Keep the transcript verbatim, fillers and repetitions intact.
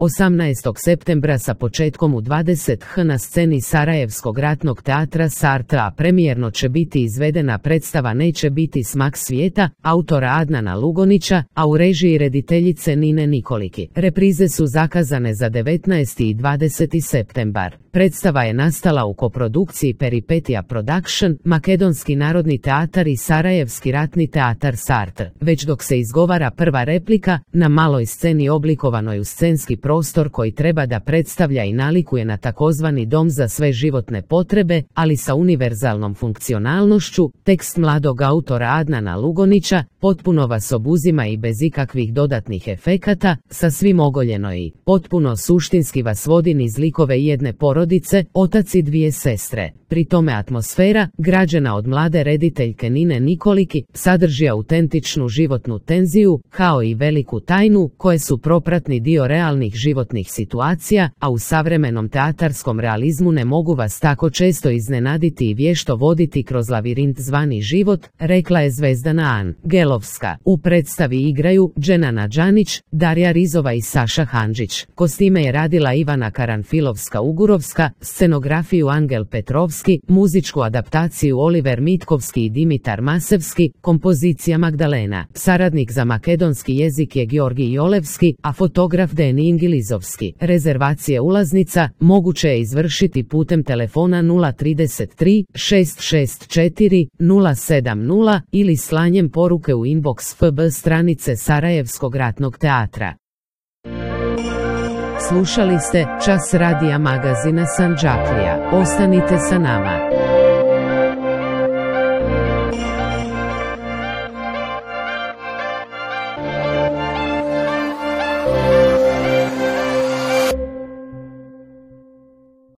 osamnaestog septembra sa početkom u dvadeset h na sceni Sarajevskog ratnog teatra Sarta, a premijerno će biti izvedena predstava Neće biti smak svijeta, autora Adnana Lugonića, a u režiji rediteljice Nine Nikoliki. Reprize su zakazane za devetnaesti i dvadeseti septembar. Predstava je nastala u koprodukciji Peripetija Production, Makedonski narodni teatar i Sarajevski ratni teatar Sart. Već dok se izgovara prva replika, na maloj sceni oblikovanoj u scenski prostor koji treba da predstavlja i nalikuje na takozvani dom za sve životne potrebe, ali sa univerzalnom funkcionalnošću, tekst mladog autora Adnana Lugonića potpuno vas obuzima i bez ikakvih dodatnih efekata, sa svim ogoljeno i potpuno suštinski vas vodi niz likove jedne porodice, otac i dvije sestre. Pri tome atmosfera, građena od mlade rediteljke Nine Nikoliki, sadrži autentičnu životnu tenziju, kao i veliku tajnu, koje su propratni dio realnih životnih situacija, a u savremenom teatarskom realizmu ne mogu vas tako često iznenaditi i vješto voditi kroz lavirint zvani život, rekla je Zvezdana Angelovska. U predstavi igraju Dženana Đanić, Darija Rizova i Saša Handžić. Kostime je radila Ivana Karanfilovska-Ugurovska, scenografiju Angel Petrovski, muzičku adaptaciju Oliver Mitkovski i Dimitar Masevski, kompozicija Magdalena. Saradnik za makedonski jezik je Georgij Jolevski, a fotograf Deni Ingilizovski. Rezervacije ulaznica moguće je izvršiti putem telefona nula trideset tri šest šest četiri nula sedam nula ili slanjem poruke u inbox F B stranice Sarajevskog ratnog teatra. Slušali ste Čas radija magazina Sandžaklija. Ostanite sa nama.